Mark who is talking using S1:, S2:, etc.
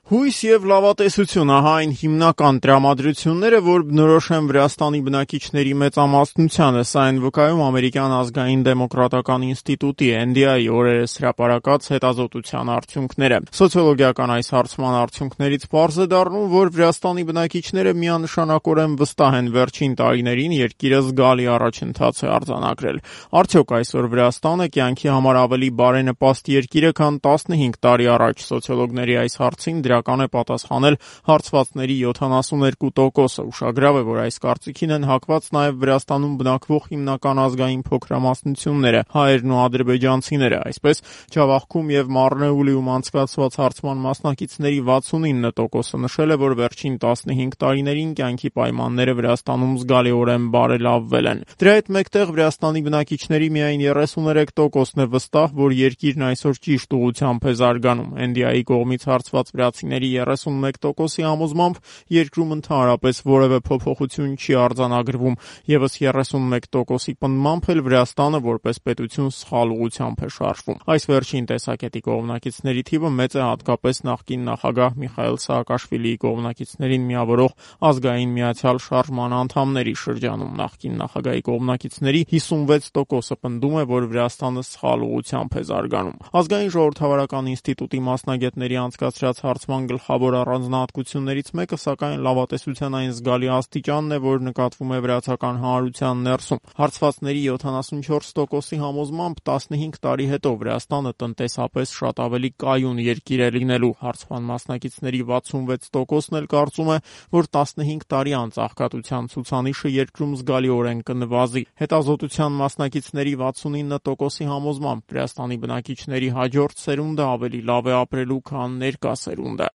S1: Հույս եւ լավատեսություն, ահա այն հիմնական տրամադրությունները, որ բնորոշ են Վրաստանի բնակիչների մեծամասնությանը, սա են վկայում ամերիկյան ազգային դեմոկրատական ինստիտուտի NDI օրերս հրապարակած հետազոտության արդյունքները։ Սոցիոլոգիական այս հարցման արդյունքներից պարզ է դառնում, որ Վրաստանի բնակիչները միանշանակորեն վստահ են վերջին տարիներին երկիրը զգալի առաջընթաց է արձանագրել։ Արդյոք այսօր Վրաստանը կյանքի համար ավելի բարենպաստ երկիր է, քան 15 տարի առաջ։ Սոցիոլոգների այս հարցին դրական է պատասխանել հարցվածների 72%-ը։ Ուշագրավ է, որ այս կարծիքին են հակված նաև Վրաստանում բնակվող հիմնական ազգային փոքրամասնությունները՝ հայերն ու ադրբեջանցիները։ Այսպես, Ջավախքում եւ Մարնեուլիում անցկացված հարցման մասնակիցների 69%-ը նշել է, որ վերջին 15 տարիներին կյանքի պայմանները Վրաստանում զգալիորեն բարելավվել են։ Դրա հետ մեկտեղ Վրաստանի բնակիչների միայն 33%-ն է վստահ, որ երկիրն այսօր ճիշտ ուղղությամբ է զարգանում։ NDI-ի կողմից հարցված վրացիների 31%-ի համոզմամբ երկրում ընդհանրապես որևէ փոփոխություն չի արձանագրվում, եւս 31%-ի պնդմամբ էլ Վրաստանը որպես պետություն սխալ ուղղությամբ է շարժվում։ Այս վերջին տեսակետի կողմնակիցների թիվը մեծ է հատկապես նախկին նախագահ Միխայիլ Սաակաշվիլիի կողմնակիցներին միավորող ազգային միացյալ շարժման անդամների շրջանում։ Նախկին նախագահի կողմնակիցների 56%-ը պնդում է, որ Վրաստանը սխալ ուղղությամբ է զարգանում։ Ազգային ժողովրդավարական ինստիտուտի մասնագետների անցկացրած հարցման գլխավոր առանձնահատկություններից մեկը, սակայն, լավատեսության այն զգալի աստիճանն է, որ նկատվում է վրացական հանրության ներսում։ Հարցվածների 74%-ի համոզմամբ 15 տարի հետո Վրաստանը տնտեսապես շատ ավելի կայուն երկիր է լինելու։ Հարցման մասնակիցների 66%-ն էլ կարծում է, որ 15 տարի անց աղքատության ցուցանիշը երկրում զգալիորեն կնվազի։ Հետազոտության մասնակիցների 69%-ի համոզմամբ Վրաստանի բնակիչների հաջորդ սերունդը ավելի լավ է ապրելու, քան ներկա սերունդը։